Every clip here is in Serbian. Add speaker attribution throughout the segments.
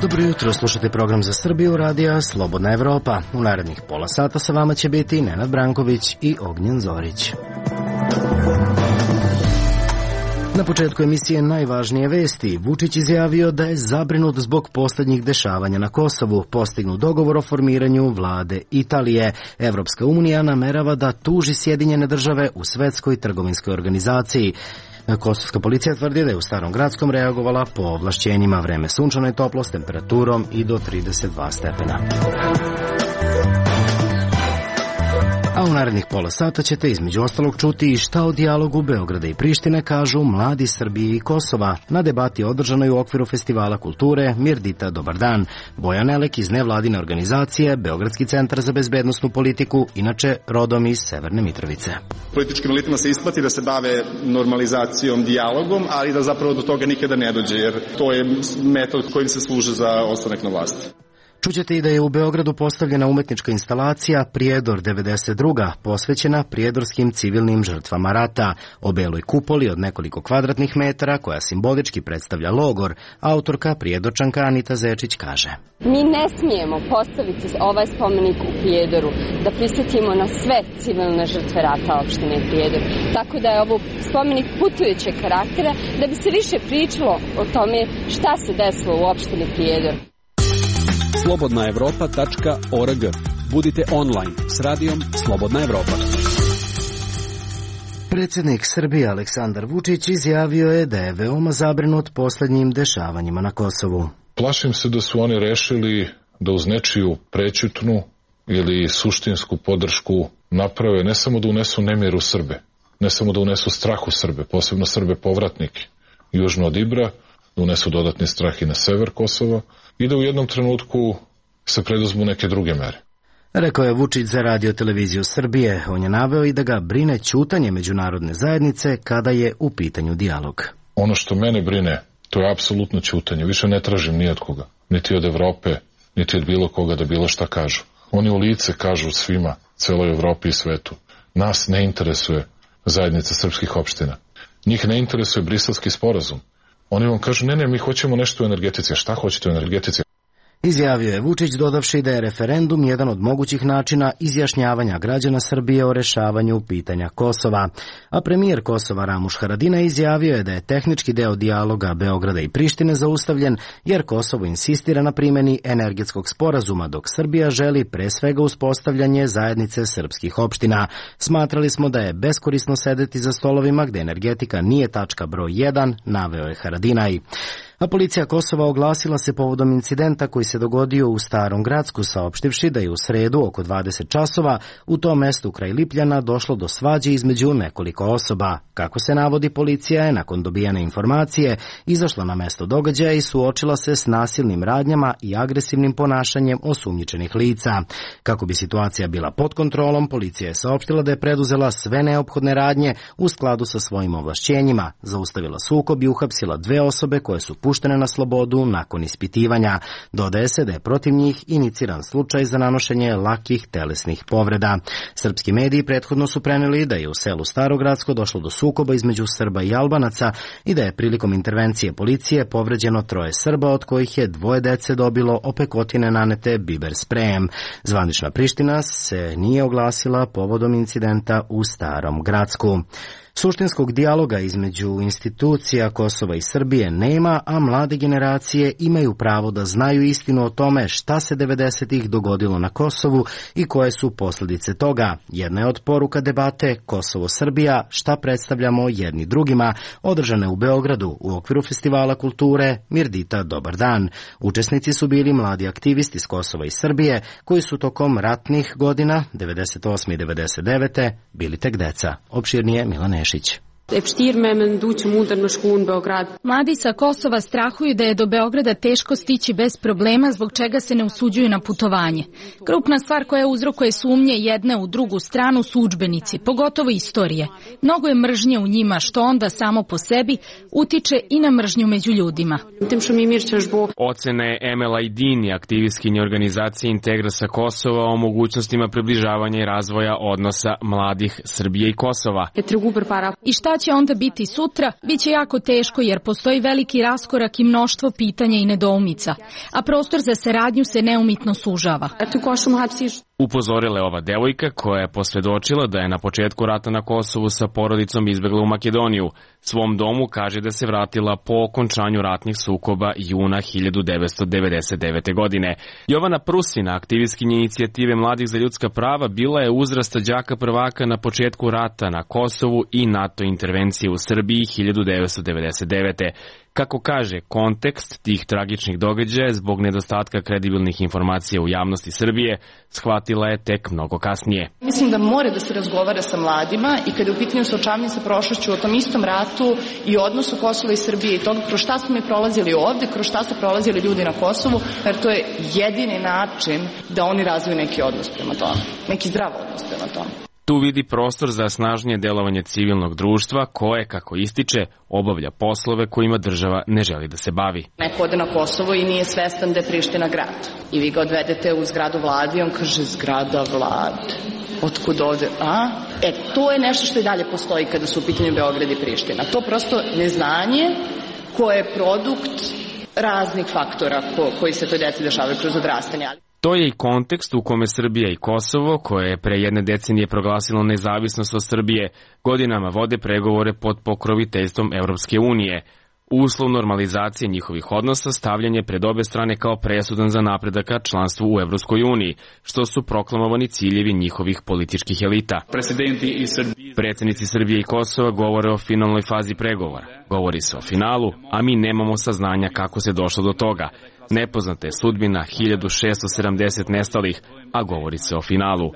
Speaker 1: Dobro jutro, slušate program za Srbiju, radija Slobodna Evropa. U narednih pola sata sa vama će biti Nenad Branković i Ognjen Zorić. Na početku emisije najvažnije vesti. Vučić izjavio da je zabrinut zbog posljednjih dešavanja na Kosovu. Postignut dogovor o formiranju vlade Italije. Evropska unija namerava da tuži Sjedinjene države u Svetskoj trgovinskoj organizaciji. Kosovska policija tvrdi da je u Starom Gradskom reagovala po ovlašćenjima. Vreme sunčano i toplo s temperaturom i do 32 stepena. A u narednih pola sata ćete između ostalog čuti i šta o dijalogu Beograda i Prištine kažu mladi Srbije i Kosova. Na debati održanoj u okviru Festivala kulture Mirdita Dobar dan. Bojan Elek iz nevladine organizacije Beogradski centar za bezbednosnu politiku, inače rodom iz Severne Mitrovice.
Speaker 2: Političkim elitama se isplati da se bave normalizacijom, dijalogom, ali da zapravo do toga nikada ne dođe, jer to je metod kojim se služe za ostanak na vlasti.
Speaker 1: Čućete i da je u Beogradu postavljena umetnička instalacija Prijedor 92. posvećena prijedorskim civilnim žrtvama rata. O beloj kupoli od nekoliko kvadratnih metara koja simbolički predstavlja logor, autorka Prijedorčanka Anita Zečić kaže:
Speaker 3: Mi ne smijemo postaviti ovaj spomenik u Prijedoru da prisjetimo na sve civilne žrtve rata opštine Prijedor. Tako da je ovo spomenik putujućeg karaktera da bi se više pričalo o tome šta se desilo u opštini Prijedor.
Speaker 4: slobodnaevropa.org. Budite online s radijom Slobodna Evropa.
Speaker 1: Predsjednik Srbije Aleksandar Vučić izjavio je da je veoma zabrinut posljednjim dešavanjima na Kosovu.
Speaker 5: Plašim se da su oni rešili da uz nečiju prećutnu ili suštinsku podršku naprave ne samo da unesu nemir u Srbe, ne samo da unesu strah u Srbe, posebno Srbe povratnike južno od Ibra, da unesu dodatni strah i na sever Kosova i da u jednom trenutku se preduzmu neke druge mere.
Speaker 1: Rekao je Vučić za Radio televiziju Srbije. On je naveo i da ga brine ćutanje međunarodne zajednice kada je u pitanju dijalog.
Speaker 5: Ono što mene brine, to je apsolutno ćutanje. Više ne tražim ni od koga, niti od Evrope, niti od bilo koga da bilo šta kažu. Oni u lice kažu svima, celoj Evropi i svetu: nas ne interesuje zajednica srpskih opština. Njih ne interesuje Briselski sporazum. Oni vam kažu: ne, mi hoćemo nešto u energetici. Šta hoćete u energetici?
Speaker 1: Izjavio je Vučić dodavši da je referendum jedan od mogućih načina izjašnjavanja građana Srbije o rešavanju pitanja Kosova. A premijer Kosova Ramuš Haradinaj izjavio je da je tehnički deo dijaloga Beograda i Prištine zaustavljen jer Kosovo insistira na primjeni energetskog sporazuma, dok Srbija želi pre svega uspostavljanje zajednice srpskih opština. Smatrali smo da je beskorisno sedeti za stolovima gde energetika nije tačka broj 1, naveo je Haradinaj. A policija Kosova oglasila se povodom incidenta koji se dogodio u Starom Gradsku, saopštivši da je u sredu oko 20 časova u tom mestu kraj Lipljana došlo do svađe između nekoliko osoba. Kako se navodi, policija je nakon dobijene informacije izašla na mesto događaja i suočila se s nasilnim radnjama i agresivnim ponašanjem osumnjičenih lica. Kako bi situacija bila pod kontrolom, policija je saopštila da je preduzela sve neophodne radnje u skladu sa svojim ovlašćenjima, zaustavila sukob i uhapsila 2 osobe koje su puštene na slobodu nakon ispitivanja. Dodaje se da je protiv njih iniciran slučaj za nanošenje lakih telesnih povreda. Srpski mediji prethodno su preneli da je u selu Starogradsko došlo do sukoba između Srba i Albanaca i da je prilikom intervencije policije povređeno 3 Srba, od kojih je 2 dece dobilo opekotine nanete biber sprejem. Zvanična Priština se nije oglasila povodom incidenta u Starom Gradsku. Suštinskog dijaloga između institucija Kosova i Srbije nema, a mlade generacije imaju pravo da znaju istinu o tome šta se 90-ih dogodilo na Kosovu i koje su posljedice toga. Jedna je od poruka debate Kosovo-Srbija, šta predstavljamo jedni drugima, održane u Beogradu u okviru Festivala kulture Mirdita Dobar dan. Učesnici su bili mladi aktivisti iz Kosova i Srbije koji su tokom ratnih godina 98. i 99. bili tek deca. Opširnije Milan Nešić.
Speaker 6: Mladi sa Kosova strahuju da je do Beograda teško stići bez problema, zbog čega se ne usuđuju na putovanje. Krupna stvar koja uzrokuje sumnje jedne u drugu stranu su udžbenici, pogotovo istorije. Mnogo je mržnje u njima, što onda samo po sebi utiče i na mržnju među ljudima.
Speaker 7: Ocene Emela Idini, aktivistkinje organizacije Integrasa Kosova o mogućnostima približavanja i razvoja odnosa mladih Srbije i Kosova.
Speaker 6: I šta će onda biti sutra? Biće jako teško jer postoji veliki raskorak i mnoštvo pitanja i nedoumica, a prostor za saradnju se neumitno sužava.
Speaker 7: Upozorila je ova devojka koja je posvedočila da je na početku rata na Kosovu sa porodicom izbegla u Makedoniju. Svom domu kaže da se vratila po okončanju ratnih sukoba juna 1999. godine. Jovana Prusina, aktivistkinja inicijative Mladih za ljudska prava, bila je uzrasta đaka prvaka na početku rata na Kosovu i NATO intervencije u Srbiji 1999. Kako kaže, kontekst tih tragičnih događaja zbog nedostatka kredibilnih informacija u javnosti Srbije shvatila je tek mnogo kasnije.
Speaker 8: Mislim da mora da se razgovara sa mladima i kada je u pitanju suočavanje sa prošlošću o tom istom ratu i odnosu Kosova i Srbije i toga kroz šta smo mi prolazili ovde, kroz šta su prolazili ljudi na Kosovu, jer to je jedini način da oni razviju neki odnos prema tome, neki zdrav odnos prema tome.
Speaker 7: Tu vidi prostor za snažnije delovanje civilnog društva koje, kako ističe, obavlja poslove kojima država ne želi da se bavi.
Speaker 8: Neko ode na Kosovo i nije svestan da je Priština grad. I vi ga odvedete u zgradu vlade i on kaže zgrada vlade. Otkud ovde? To je nešto što i dalje postoji kada su u pitanju Beograd i Priština. To prosto neznanje koje je produkt raznih faktora koji se toj deci dešavaju kroz odrastanje.
Speaker 7: To je i kontekst u kome Srbija i Kosovo, koje je pre jedne decenije proglasilo nezavisnost od Srbije, godinama vode pregovore pod pokroviteljstvom Evropske unije. Uslov normalizacije njihovih odnosa stavljen je pred obe strane kao presudan za napredak ka članstvu u Evropskoj uniji, što su proklamovani ciljevi njihovih političkih elita. Predsednici Srbije i Kosova govore o finalnoj fazi pregovora. Govori se o finalu, a mi nemamo saznanja kako se došlo do toga. Nepoznata je sudbina 1670 nestalih, a govori se o finalu.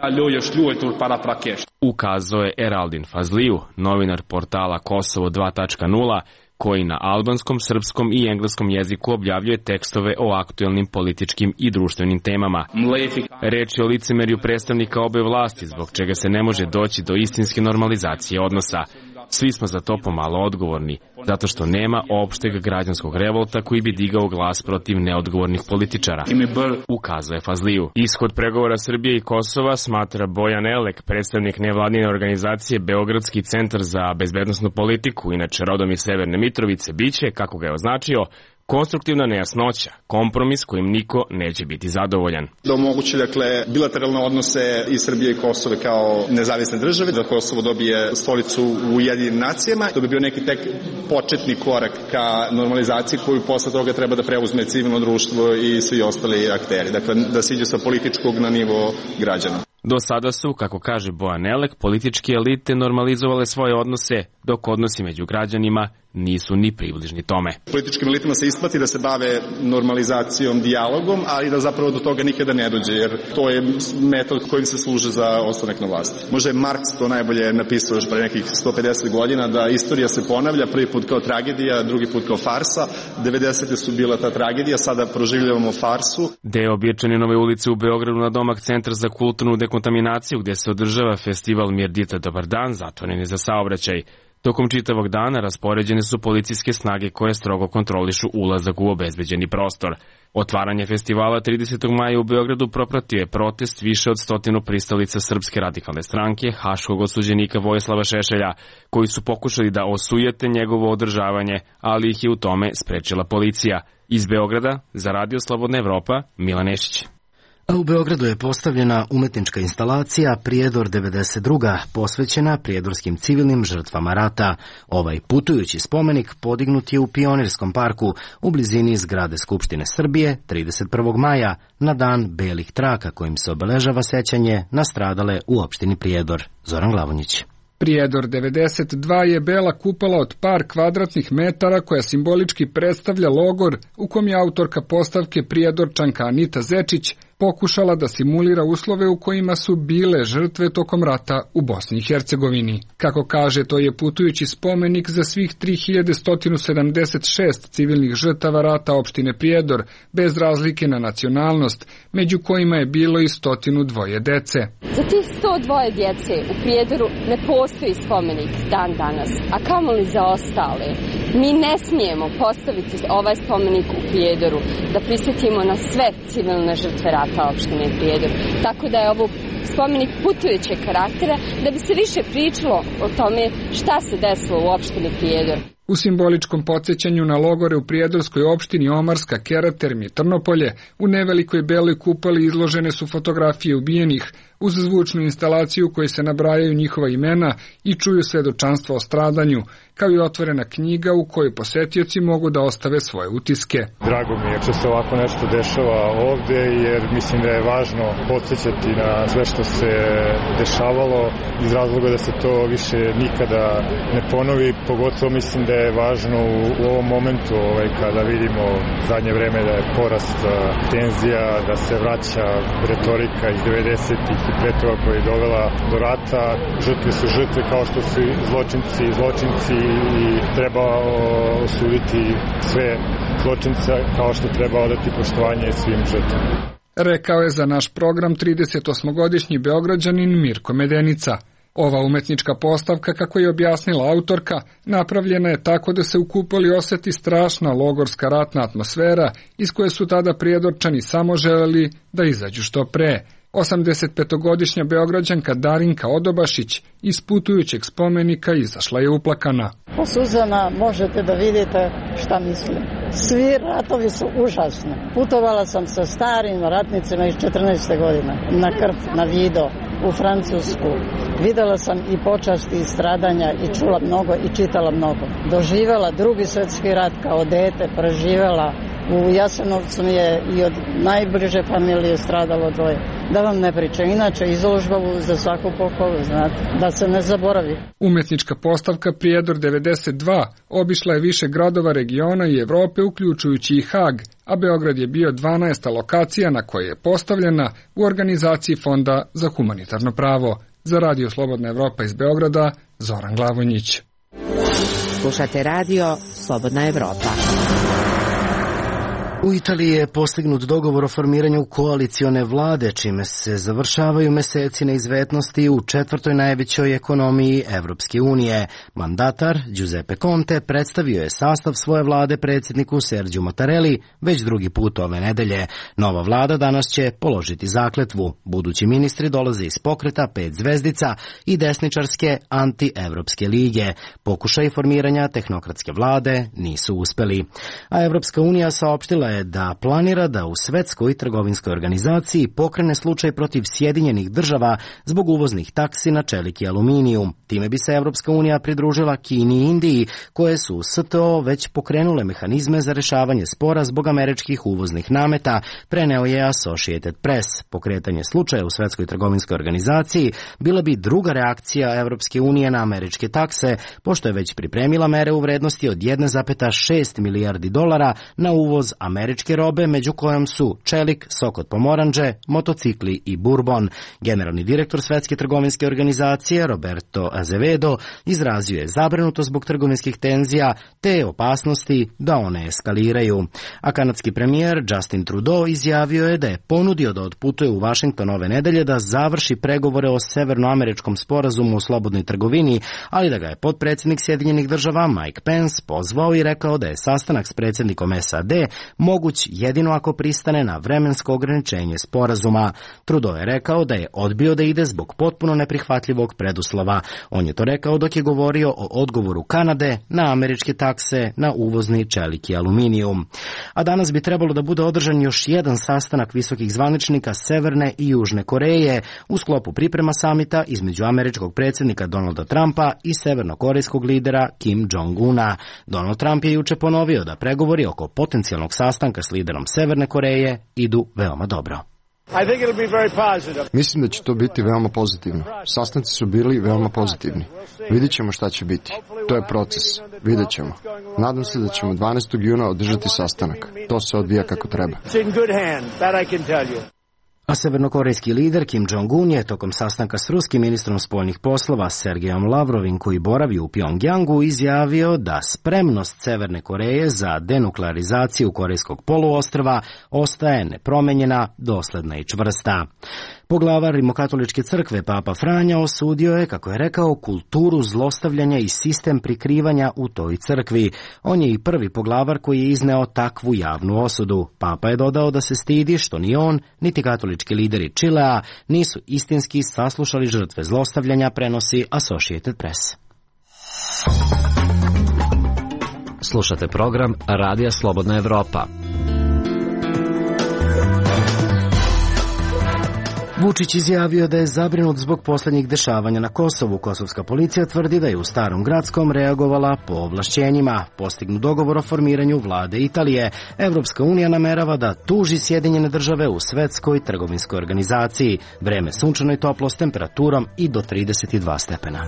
Speaker 7: Ukazao je Eraldin Fazliju, novinar portala Kosovo 2.0, koji na albanskom, srpskom i engleskom jeziku objavljuje tekstove o aktuelnim političkim i društvenim temama. Reč je o licemerju predstavnika obe vlasti, zbog čega se ne može doći do istinske normalizacije odnosa. Svi smo za to pomalo odgovorni, zato što nema opšteg građanskog revolta koji bi digao glas protiv neodgovornih političara, ukazuje Fazliju. Ishod pregovora Srbije i Kosova, smatra Bojan Elek, predstavnik nevladine organizacije Beogradski centar za bezbednosnu politiku, inače rodom iz Severne Mitrovice, biće, kako ga je označio, konstruktivna nejasnoća, kompromis kojim niko neće biti zadovoljan.
Speaker 2: Da omogući, bilateralne odnose i Srbije i Kosove kao nezavisne države, da Kosovo dobije stolicu u Ujedinjenim nacijama, to bi bio neki tek početni korak ka normalizaciji koju posle toga treba da preuzme civilno društvo i svi ostali akteri. Dakle, da se iđe sa političkog na nivo građana.
Speaker 7: Do sada su, kako kaže Bojan Elek, političke elite normalizovale svoje odnose, dok odnosi među građanima nisu ni približni tome.
Speaker 2: Političkim elitama se isplati da se bave normalizacijom, dijalogom, ali da zapravo do toga nikada ne dođe, jer to je metod kojim se služe za ostanak na vlasti. Možda je Marks to najbolje napisao još pre nekih 150 godina, da istorija se ponavlja, prvi put kao tragedija, drugi put kao farsa. 90. su bila ta tragedija, sada proživljavamo farsu.
Speaker 7: Deo Birčaninove ulice u Beogradu na domak Centar za kulturnu dekontaminaciju, gde se održava festival Mirdita Dobar dan, zatvoren je za saobraćaj. Tokom čitavog dana raspoređene su policijske snage koje strogo kontrolišu ulazak u obezbeđeni prostor. Otvaranje festivala 30. maja u Beogradu propratio je protest više od 100 pristalica Srpske radikalne stranke, haškog osuđenika Vojislava Šešelja, koji su pokušali da osujete njegovo održavanje, ali ih je u tome sprečila policija. Iz Beograda, za Radio Slobodna Evropa, Milan Nešić.
Speaker 1: A u Beogradu je postavljena umetnička instalacija Prijedor 92. posvećena prijedorskim civilnim žrtvama rata. Ovaj putujući spomenik podignut je u Pionirskom parku u blizini zgrade Skupštine Srbije 31. maja na dan belih traka kojim se obeležava sećanje na stradale u opštini Prijedor. Zoran Glavonjić.
Speaker 9: Prijedor 92 je bela kupala od par kvadratnih metara koja simbolički predstavlja logor u kom je autorka postavke prijedorčanka Anita Zečić pokušala da simulira uslove u kojima su bile žrtve tokom rata u Bosni i Hercegovini. Kako kaže, to je putujući spomenik za svih 3176 civilnih žrtava rata opštine Prijedor, bez razlike na nacionalnost, među kojima je bilo i 102 dece.
Speaker 3: Za tih 102 djece u Prijedoru ne postoji spomenik dan danas, a kamoli za ostale. Mi ne smijemo postaviti ovaj spomenik u Prijedoru da prisjetimo na sve civilne žrtve rata opštine Prijedor. Tako da je ovo spomenik putujućeg karaktera da bi se više pričalo o tome šta se desilo u opštini Prijedor.
Speaker 9: U simboličkom podsjećanju na logore u prijedorskoj opštini Omarska, Keraterm i Trnopolje, u nevelikoj beloj kupoli izložene su fotografije ubijenih, uz zvučnu instalaciju u kojoj se nabrajaju njihova imena i čuju svedočanstva o stradanju, kao i otvorena knjiga u kojoj posetioci mogu da ostave svoje utiske.
Speaker 10: Drago mi je što se ovako nešto dešava ovde, jer mislim da je važno podsjećati na sve što se dešavalo, iz razloga da se to više nikada ne ponovi. Pogotovo mislim da je važno u ovom momentu kada vidimo zadnje vreme da je porast tenzija, da se vraća retorika iz 90-ih i pre toga koja je dovela do rata. Žrtve su žrtve kao što su zločinci i treba osuditi sve zločince kao što treba odati poštovanje svim žrtvama.
Speaker 9: Rekao je za naš program 38-godišnji Beograđanin Mirko Medenica. Ova umetnička postavka, kako je objasnila autorka, napravljena je tako da se u kupoli oseti strašna logorska ratna atmosfera iz koje su tada Prijedorčani samo želeli da izađu što pre. 85-godišnja Beograđanka Darinka Odobašić iz putujućeg spomenika izašla je uplakana.
Speaker 11: Po suzama možete da vidite šta mislim. Svi ratovi su užasni. Putovala sam sa starim ratnicima iz 14. godine na Krf, na Vido, u Francusku. Videla sam i počasti i stradanja i čula mnogo i čitala mnogo. Doživela Drugi svjetski rat kao dete, preživela. U Jasenovcu mi je i od najbliže familije stradalo 2. Da vam ne pričam, inače izložba za svaku pohvalu, znate, da se ne zaboravi.
Speaker 9: Umetnička postavka Prijedor 92 obišla je više gradova regiona i Evrope, uključujući i Hag, a Beograd je bio 12. lokacija na kojoj je postavljena u organizaciji Fonda za humanitarno pravo. Za Radio Slobodna Evropa iz Beograda, Zoran Glavonjić.
Speaker 12: Slušate Radio Slobodna Evropa.
Speaker 1: U Italiji je postignut dogovor o formiranju koalicione vlade, čime se završavaju meseci neizvesnosti u četvrtoj najvećoj ekonomiji Evropske unije. Mandatar Giuseppe Conte predstavio je sastav svoje vlade predsjedniku Sergiju Mattarelli već drugi put ove nedelje. Nova vlada danas će položiti zakletvu. Budući ministri dolaze iz pokreta 5 zvezdica i desničarske anti-evropske lige. Pokušaj formiranja tehnokratske vlade nisu uspeli. A Evropska unija saopštila je da planira da u Svetskoj trgovinskoj organizaciji pokrene slučaj protiv Sjedinjenih država zbog uvoznih taksi na čelik i aluminijum. Time bi se Evropska unija pridružila Kini i Indiji, koje su u STO već pokrenule mehanizme za rešavanje spora zbog američkih uvoznih nameta, preneo je Associated Press. Pokretanje slučaja u Svetskoj trgovinskoj organizaciji bila bi druga reakcija Evropske unije na američke takse, pošto je već pripremila mere u vrednosti od 1,6 milijardi dolara na uvoz američke robe, među kojom su čelik, sok od pomoranđe, motocikli i bourbon. Generalni direktor Svetske trgovinske organizacije Roberto Azevedo izrazio je zabrinutost zbog trgovinskih tenzija te opasnosti da one eskaliraju. A kanadski premijer Justin Trudeau izjavio je da je ponudio da otputuje u Vašington ove nedelje da završi pregovore o severnoameričkom sporazumu o slobodnoj trgovini, ali da ga je potpredsjednik Sjedinjenih država Mike Pence pozvao i rekao da je sastanak s predsjednikom SAD moguć jedino ako pristane na vremensko ograničenje sporazuma. Trudeau je rekao da je odbio da ide zbog potpuno neprihvatljivog preduslova. On je to rekao dok je govorio o odgovoru Kanade na američke takse na uvozni čelik i aluminijum. A danas bi trebalo da bude održan još jedan sastanak visokih zvaničnika Severne i Južne Koreje u sklopu priprema samita između američkog predsjednika Donalda Trumpa i severnokorejskog lidera Kim Jong-una. Donald Trump je juče ponovio da pregovori oko potencijalnog sastanka s liderom Severne Koreje idu veoma dobro.
Speaker 13: Mislim da će to biti veoma pozitivno. Sastanci su bili veoma pozitivni. Vidjet ćemo šta će biti. To je proces. Vidjet ćemo. Nadam se da ćemo 12. juna održati sastanak. To se odvija kako treba.
Speaker 1: A severnokorejski lider Kim Jong-un je tokom sastanka s ruskim ministrom spoljnih poslova Sergejom Lavrovim, koji boravi u Pjongjangu, izjavio da spremnost Severne Koreje za denuklearizaciju Korejskog poluostrva ostaje nepromenjena, dosledna i čvrsta. Poglavar Rimokatoličke crkve Papa Franja osudio je, kako je rekao, kulturu zlostavljanja i sistem prikrivanja u toj crkvi. On je i prvi poglavar koji je izneo takvu javnu osudu. Papa je dodao da se stidi što ni on, niti katolički lideri Čilea nisu istinski saslušali žrtve zlostavljanja, prenosi Associated Press.
Speaker 14: Slušate program Radija Slobodna Evropa.
Speaker 1: Vučić izjavio da je zabrinut zbog posljednjih dešavanja na Kosovu. Kosovska policija tvrdi da je u Starom Gradskom reagovala po ovlašćenjima. Postignut dogovor o formiranju vlade Italije. Evropska unija namerava da tuži Sjedinjene države u Svetskoj trgovinskoj organizaciji. Vreme sunčano i toplo s temperaturom i do 32 stepena.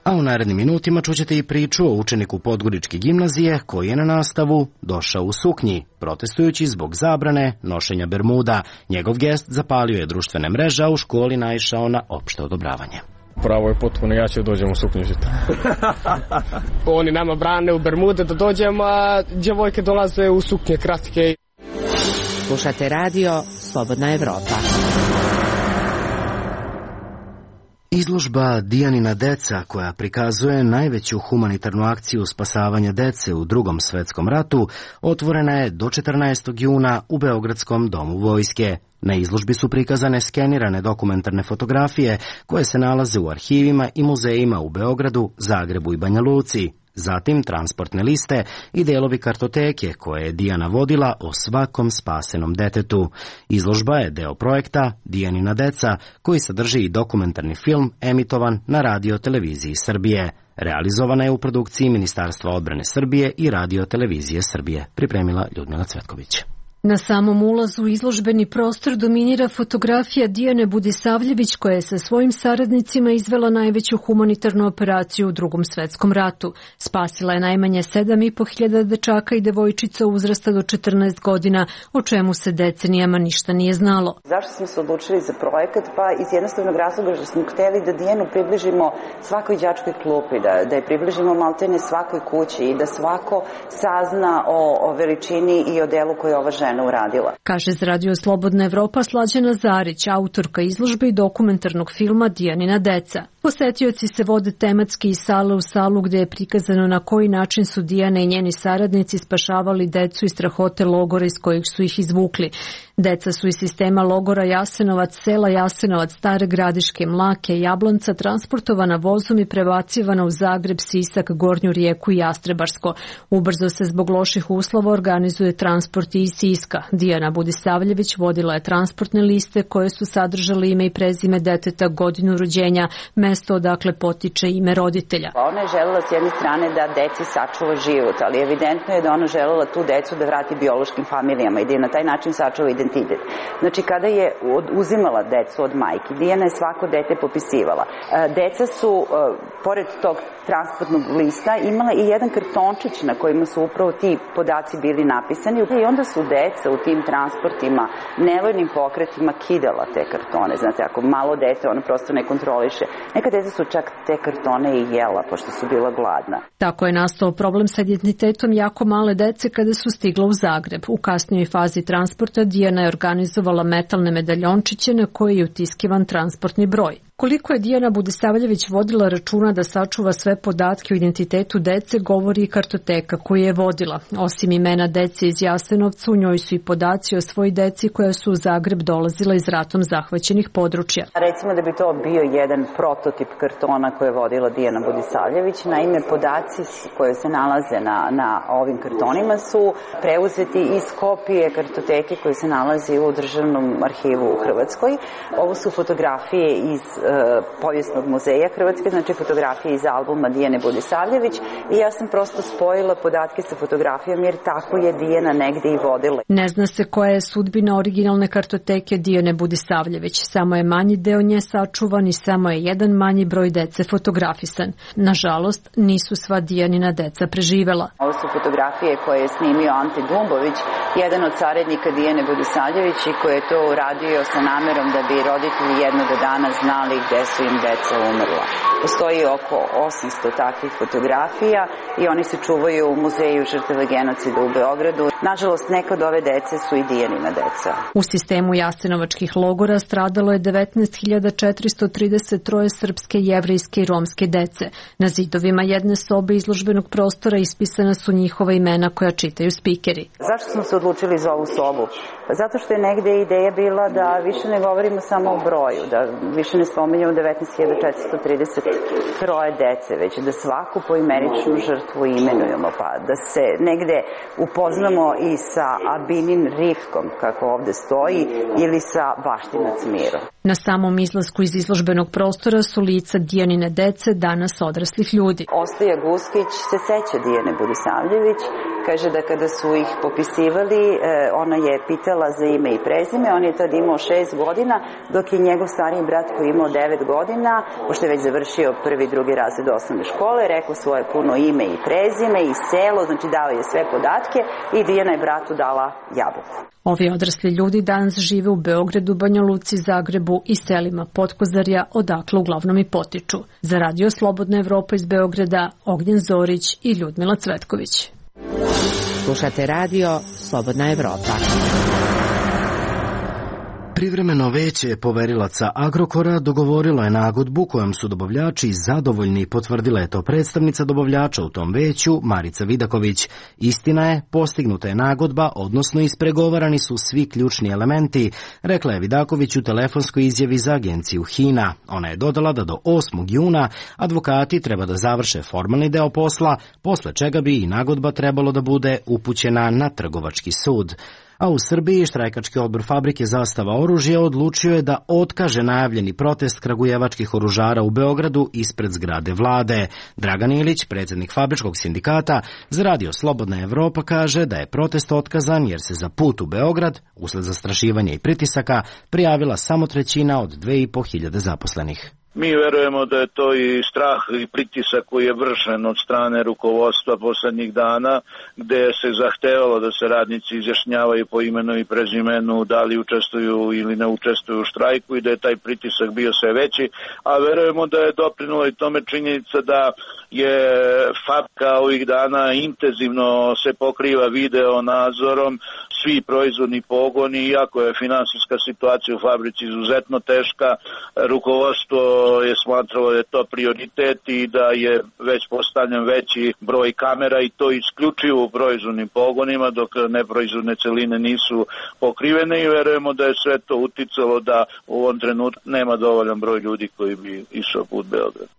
Speaker 1: A u narednim minutima čućete i priču o učeniku Podgoričke gimnazije koji je na nastavu došao u suknji, protestujući zbog zabrane nošenja bermuda. Njegov gest zapalio je društvene mreže, a u školi naišao na opšte odobravanje.
Speaker 15: Pravo je potpuno, ja ću dođem u suknju žita. Oni nama brane u bermude da dođemo, a djevojke dolaze u suknje kratke.
Speaker 12: Slušate radio Slobodna Evropa.
Speaker 1: Izložba Dijanina deca, koja prikazuje najveću humanitarnu akciju spasavanja dece u Drugom svetskom ratu, otvorena je do 14. juna u Beogradskom domu vojske. Na izložbi su prikazane skenirane dokumentarne fotografije koje se nalaze u arhivima i muzejima u Beogradu, Zagrebu i Banja Luci. Zatim transportne liste i delovi kartoteke koje je Dijana vodila o svakom spasenom detetu. Izložba je deo projekta Dijanina deca, koji sadrži i dokumentarni film emitovan na Radio televiziji Srbije. Realizovana je u produkciji Ministarstva odbrane Srbije i Radio televizije Srbije. Pripremila Ljudmila Cvetković.
Speaker 16: Na samom ulazu u izložbeni prostor dominira fotografija Dijane Budisavljević, koja je sa svojim saradnicima izvela najveću humanitarnu operaciju u Drugom svetskom ratu. Spasila je najmanje 7.500 dečaka i devojčica uzrasta do 14 godina, o čemu se decenijama ništa nije znalo.
Speaker 17: Zašto smo se odlučili za projekat? Pa iz jednostavnog razloga što smo hteli da Dijanu približimo svakoj đačkoj klupi, da je približimo maltene svakoj kući i da svako sazna o veličini i o delu koje ova žena uradila.
Speaker 16: Kaže za Radio Slobodna Evropa Slađana Zarić, autorka izložbe i dokumentarnog filma Dijanina deca. Posetioci se vode tematski iz sale u salu gde je prikazano na koji način su Dijana i njeni saradnici spašavali decu iz strahote logora iz kojih su ih izvukli. Deca su iz sistema logora Jasenovac, sela Jasenovac, Stare Gradiške, Mlake, Jablonca transportovana vozom i prebacivana u Zagreb, Sisak, Gornju Rijeku i Jastrebarsko. Ubrzo se zbog loših uslova organizuje transport iz Siska. Dijana Budisavljević vodila je transportne liste koje su sadržale ime i prezime deteta, godinu rođenja, mesto odakle potiče ime roditelja.
Speaker 17: Ona je želela s jedne strane da deci sačuva život, ali evidentno je da ona želela tu decu da vrati biološkim familijama i da je na taj način sačuva identitet. Znači, kada je uzimala decu od majki, Dijana je svako dete popisivala. Deca su, pored tog transportnog lista, imala i jedan kartončić na kojima su upravo ti podaci bili napisani i onda su deca u tim transportima nevoljnim pokretima kidala te kartone. Znate, ako malo dete, ono prosto ne kontroliše. Neka deca su čak te kartone i jela, pošto su bila gladna.
Speaker 16: Tako je nastao problem sa identitetom jako male dece kada su stigla u Zagreb. U kasnijoj fazi transporta Dijana je organizovala metalne medaljončiće na koji je utiskivan transportni broj. Koliko je Dijana Budisavljević vodila računa da sačuva sve podatke o identitetu dece, govori i kartoteka koju je vodila. Osim imena dece iz Jasenovca, u njoj su i podaci o svoj deci koja su u Zagreb dolazila iz ratom zahvaćenih područja.
Speaker 17: Recimo da bi to bio jedan prototip kartona koje je vodila Dijana Budisavljević. Naime, podaci koje se nalaze na ovim kartonima su preuzeti iz kopije kartoteke koje se nalazi u Državnom arhivu u Hrvatskoj. Ovo su fotografije iz Povijesnog muzeja Hrvatske, znači fotografije iz albuma Dijane Budisavljević, i ja sam prosto spojila podatke sa fotografijom jer tako je Dijana negde i vodila.
Speaker 16: Ne zna se koja je sudbina originalne kartoteke Dijane Budisavljević, samo je manji deo nje sačuvan i samo je jedan manji broj dece fotografisan. Nažalost, nisu sva Dijanina deca preživela.
Speaker 17: Ovo su fotografije koje je snimio Ante Dumbović, jedan od saradnika Dijane Budisavljević, i koji je to uradio sa namerom da bi roditelji jednog dana znali gde su im deca umrla. Postoji oko 800 takvih fotografija i oni se čuvaju u Muzeju žrtava genocida u Beogradu. Nažalost, neka od ove dece su i Dijanina deca.
Speaker 16: U sistemu jasenovačkih logora stradalo je 19.433 srpske, jevrejske i romske dece. Na zidovima jedne sobe izložbenog prostora ispisana su njihova imena koja čitaju spikeri.
Speaker 17: Zašto smo se odlučili za ovu sobu? Zato što je negde ideja bila da više ne govorimo samo o broju, da više ne spominjamo 19.433 dece, već da svaku poimeničnu žrtvu imenujemo, pa da se negde upoznamo i sa Abinin rifkom, kako ovde stoji, ili sa Baštinac Mirom.
Speaker 16: Na samom izlasku iz izložbenog prostora su lica Dijanine dece, danas odraslih ljudi.
Speaker 17: Ostoja Guskić se seća Dijane Budisavljević, kaže da kada su ih popisivali, ona je pitala za ime i prezime, on je tad imao 6 godina, dok je njegov stariji brat koji je imao 9 godina, pošto je već završio prvi i drugi razred osnovne škole, rekao svoje puno ime i prezime i selo, znači dao je sve podatke i Dijana je bratu dala jabuku.
Speaker 16: Ovi odrasli ljudi danas žive u Beogradu, Banja Luci, Zagrebu i selima Potkozarja, odakle uglavnom i potiču. Za Radio Slobodna Evropa iz Beograda, Ognjen Zorić i Ljudmila Cvetković.
Speaker 12: Slušate radio Slobodna Evropa.
Speaker 1: Privremeno veće poverilaca Agrokora dogovorilo je nagodbu kojom su dobavljači zadovoljni, potvrdila je to predstavnica dobavljača u tom veću, Marica Vidaković. Istina je, postignuta je nagodba, odnosno ispregovarani su svi ključni elementi, rekla je Vidaković u telefonskoj izjavi za agenciju HINA. Ona je dodala da do 8. juna advokati treba da završe formalni deo posla, posle čega bi i nagodba trebalo da bude upućena na trgovački sud. A u Srbiji štrajkački odbor fabrike Zastava oružja odlučio je da otkaže najavljeni protest kragujevačkih oružara u Beogradu ispred zgrade vlade. Dragan Ilić, predsjednik fabričkog sindikata, za Radio Slobodna Evropa kaže da je protest otkazan jer se za put u Beograd, usled zastrašivanja i pritisaka, prijavila samo 1/3 od 2.500 zaposlenih.
Speaker 18: Mi verujemo da je to i strah i pritisak koji je vršen od strane rukovodstva poslednjih dana, gde se zahtevalo da se radnici izjašnjavaju po imenu i prezimenu, da li učestvuju ili ne učestvuju u štrajku, i da je taj pritisak bio sve veći, a verujemo da je doprinula i tome činjenica da je fabrika ovih dana intenzivno se pokriva video nadzorom, svi proizvodni pogoni, iako je finansijska situacija u fabrici izuzetno teška, rukovodstvo je smatralo da je to prioritet i da je već postavljen veći broj kamera, i to isključivo u proizvodnim pogonima, dok neproizvodne celine nisu pokrivene, i verujemo da je sve to uticalo da u ovom trenutku nema dovoljan broj ljudi koji bi išao put Beograda.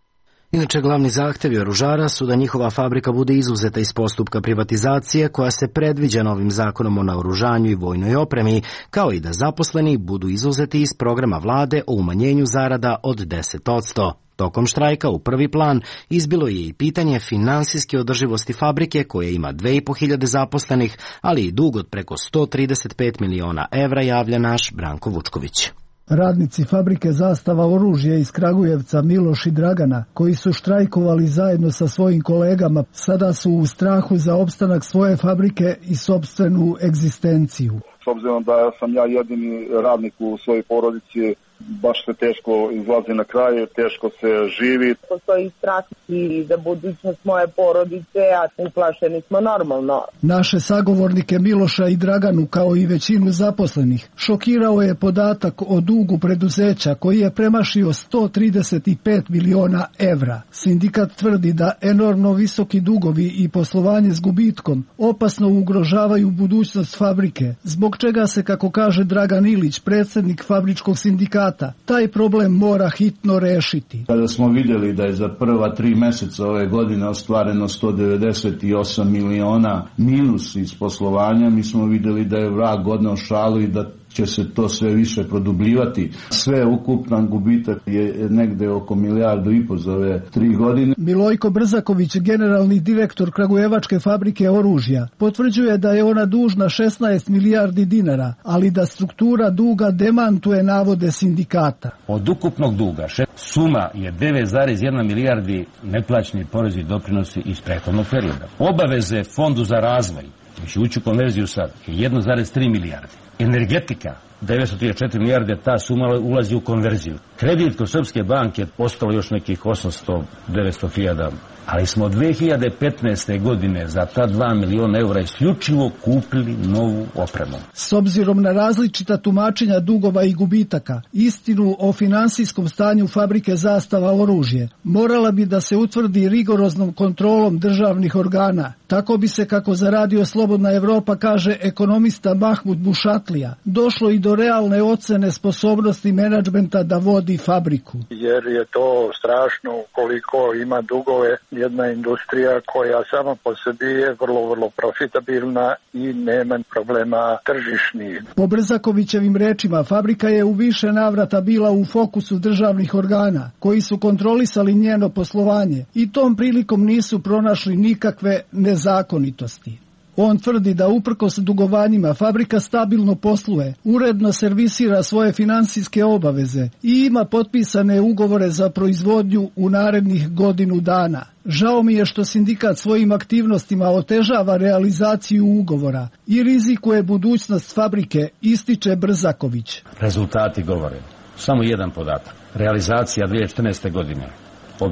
Speaker 1: Inače, glavni zahtevi oružara su da njihova fabrika bude izuzeta iz postupka privatizacije koja se predviđa novim zakonom o naoružanju i vojnoj opremi, kao i da zaposleni budu izuzeti iz programa vlade o umanjenju zarada od 10%. Tokom štrajka u prvi plan izbilo je i pitanje finansijske održivosti fabrike koja ima 2.500 zaposlenih, ali i dug od preko 135 miliona evra, javlja naš Branko Vučković.
Speaker 19: Radnici fabrike Zastava oružja iz Kragujevca Miloš i Dragana, koji su štrajkovali zajedno sa svojim kolegama, sada su u strahu za opstanak svoje fabrike i sopstvenu egzistenciju.
Speaker 20: S obzirom da sam ja jedini radnik u svojoj porodici, baš se teško izlazi na kraj, teško se živi.
Speaker 21: Postoji strah i za budućnost moje porodice, a uplašeni smo normalno.
Speaker 19: Naše sagovornike Miloša i Draganu, kao i većinu zaposlenih, šokirao je podatak o dugu preduzeća koji je premašio 135 miliona evra. Sindikat tvrdi da enormno visoki dugovi i poslovanje s gubitkom opasno ugrožavaju budućnost fabrike, zbog čega se, kako kaže Dragan Ilić, predsjednik fabričkog sindikata, taj problem mora hitno rešiti.
Speaker 22: Kada smo vidjeli da je za prva 3 meseca ove godine ostvareno 198 miliona minus iz poslovanja, mi smo vidjeli da je vrag odneo šalu i da će se to sve više produbljivati. Sve ukupan gubitak je negde oko 1,5 milijardu za ove 3 godine.
Speaker 19: Milojko Brzaković, generalni direktor Kragujevačke fabrike oružja, potvrđuje da je ona dužna 16 milijardi dinara, ali da struktura duga demantuje navode sindikata.
Speaker 4: Od ukupnog duga suma je 9,1 milijardi neplaćeni porezi i doprinosi iz prethodnog perioda. Obaveze Fondu za razvoj, će ući u konverziju sad, je 1,3 milijarde. Energetika, 934 milijarde, ta suma ulazi u konverziju. Kredit kod Srpske banke ostalo još nekih 800-900 hiljada, ali smo 2015. godine za ta 2 miliona eura isključivo kupili novu opremu.
Speaker 19: S obzirom na različita tumačenja dugova i gubitaka, istinu o finansijskom stanju fabrike Zastava oružje morala bi da se utvrdi rigoroznom kontrolom državnih organa. Tako bi se, kako za Radio Slobodna Evropa kaže ekonomista Mahmud Bušatlija, došlo i do realne ocene sposobnosti menadžmenta da vodi fabriku.
Speaker 5: Jer je to strašno koliko ima dugove jedna industrija koja sama po sebi je vrlo profitabilna i nema problema tržišnih.
Speaker 19: Po Brzakovićevim rečima, fabrika je u više navrata bila u fokusu državnih organa, koji su kontrolisali njeno poslovanje i tom prilikom nisu pronašli nikakve nezakonitosti. On tvrdi da uprkos dugovanjima fabrika stabilno posluje, uredno servisira svoje finansijske obaveze i ima potpisane ugovore za proizvodnju u narednih godinu dana. Žao mi je što sindikat svojim aktivnostima otežava realizaciju ugovora i rizikuje budućnost fabrike, ističe Brzaković.
Speaker 4: Rezultati govore. Samo jedan podatak. Realizacija 2014. godine,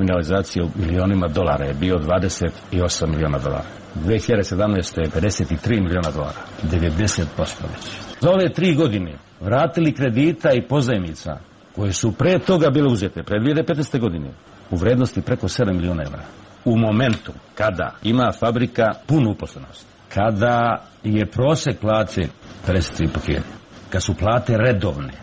Speaker 4: realizacija u milionima dolara je bio 28 miliona dolara. 2017. je 53 miliona dolara, 90% već. Za ove 3 godine vratili kredita i pozajmica koje su pre toga bile uzete, pre 2015. godine, u vrednosti preko 7 miliona evra. U momentu kada ima fabrika punu uposlenost, kada je prosek plate 53.000, kad su plate redovne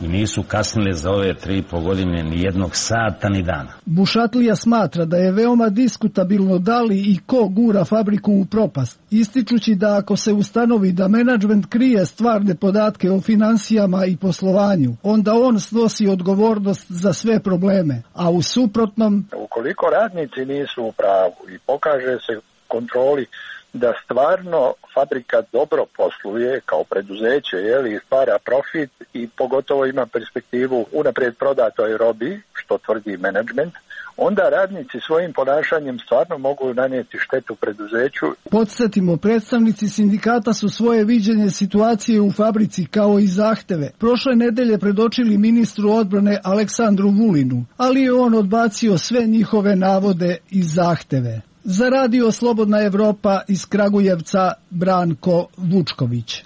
Speaker 4: i nisu kasnile za ove 3,5 godine ni jednog sata ni dana.
Speaker 19: Bušatlija smatra da je veoma diskutabilno da li i ko gura fabriku u propast, ističući da ako se ustanovi da menadžment krije stvarne podatke o finansijama i poslovanju, onda on snosi odgovornost za sve probleme, a u suprotnom...
Speaker 5: Ukoliko radnici nisu u pravu i pokaže se kontroli da stvarno fabrika dobro posluje kao preduzeće, i stvara profit i pogotovo ima perspektivu unaprijed prodatoj robi, što tvrdi menadžment, onda radnici svojim ponašanjem stvarno mogu nanijeti štetu preduzeću.
Speaker 19: Podsjetimo, predstavnici sindikata su svoje viđenje situacije u fabrici kao i zahteve prošle nedelje predočili ministru odbrane Aleksandru Vulinu, ali je on odbacio sve njihove navode i zahteve. Za Radio Slobodna Evropa iz Kragujevca, Branko Vučković.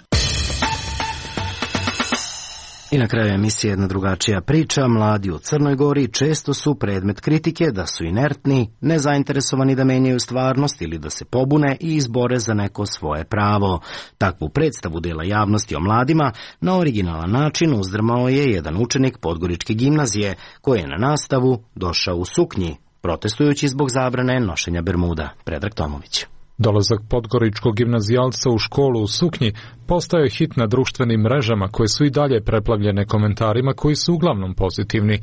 Speaker 1: I na kraju emisije jedna drugačija priča. Mladi u Crnoj Gori često su predmet kritike da su inertni, nezainteresovani da menjaju stvarnost ili da se pobune i izbore za neko svoje pravo. Takvu predstavu dela javnosti o mladima na originalan način uzdrmao je jedan učenik Podgoričke gimnazije koji je na nastavu došao u suknji, protestujući zbog zabrane nošenja bermuda. Predrag Tomović.
Speaker 23: Dolazak podgoričkog gimnazijalca u školu u suknji postao je hit na društvenim mrežama koje su i dalje preplavljene komentarima koji su uglavnom pozitivni.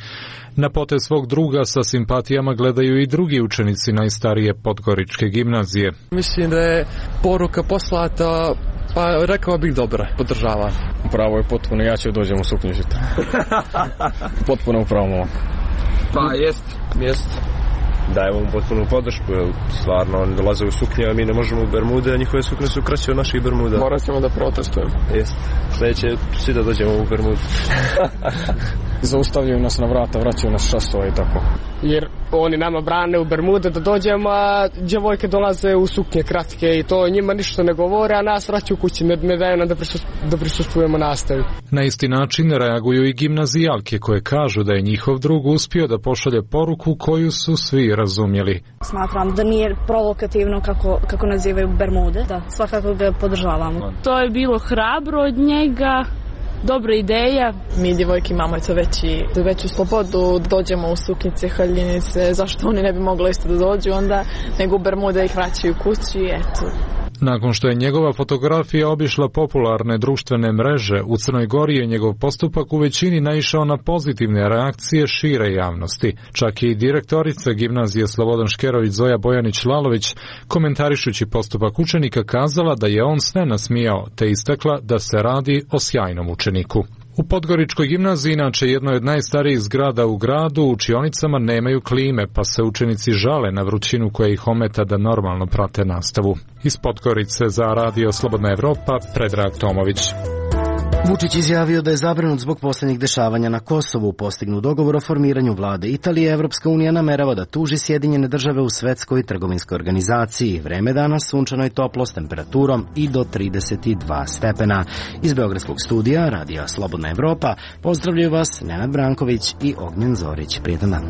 Speaker 23: Na potez svog druga sa simpatijama gledaju i drugi učenici najstarije podgoričke gimnazije.
Speaker 24: Mislim da je poruka poslata, pa rekao bih dobra, podržava.
Speaker 15: Pravo je potpuno, ja ću dođem u suknju žita. Potpuno upravo.
Speaker 24: Pa jest.
Speaker 25: Dajemo mu potpunu podršku, jer stvarno oni dolaze u suknje, a mi ne možemo u bermude, a njihove suknje su kraće od naših bermuda.
Speaker 24: Morat ćemo da protestujemo.
Speaker 25: Jest. Sljedeće svi da dođemo u bermudu.
Speaker 15: Zaustavljaju nas na vrata, vraćaju nas šasova i tako.
Speaker 24: Jer oni nama brane u bermude da dođemo, a djevojke dolaze u suknje kratke i to njima ništa ne govore, a nas vraćaju kući, ne daju nam da prisustvujemo nastavi.
Speaker 23: Na isti način reaguju i gimnazijalke koje kažu da je njihov drug uspio da pošalje poruku koju su svi razumjeli.
Speaker 26: Smatram da nije provokativno kako nazivaju bermude, da svakako ga podržavamo.
Speaker 27: To je bilo hrabro od njega. Dobra ideja.
Speaker 26: Mi djevojke imamo veću slobodu, dođemo u suknjice, haljinice, zašto oni ne bi mogli isto da dođu onda, nego u bermude ih vraćaju kući, eto.
Speaker 23: Nakon što je njegova fotografija obišla popularne društvene mreže, u Crnoj Gori je njegov postupak u većini naišao na pozitivne reakcije šire javnosti. Čak i direktorica gimnazije Slobodan Škerović Zoja Bojanić-Lalović, komentarišući postupak učenika, kazala da je on sve nasmijao, te istakla da se radi o sjajnom učeniku. U Podgoričkoj gimnaziji, inače jednoj od najstarijih zgrada u gradu, u učionicama nemaju klime, pa se učenici žale na vrućinu koja ih ometa da normalno prate nastavu. Iz Podgorice za Radio Slobodna Evropa, Predrag Tomović.
Speaker 1: Vučić izjavio da je zabrinut zbog posljednjih dešavanja na Kosovu. Postignu dogovor o formiranju vlade Italije, Evropska unija namerava da tuži Sjedinjene države u Svetskoj trgovinskoj organizaciji. Vreme danas sunčano i toplo s temperaturom i do 32 stepena. Iz Beogradskog studija Radija Slobodna Evropa pozdravljaju vas Nenad Branković i Ognjen Zorić. Prijetan dan.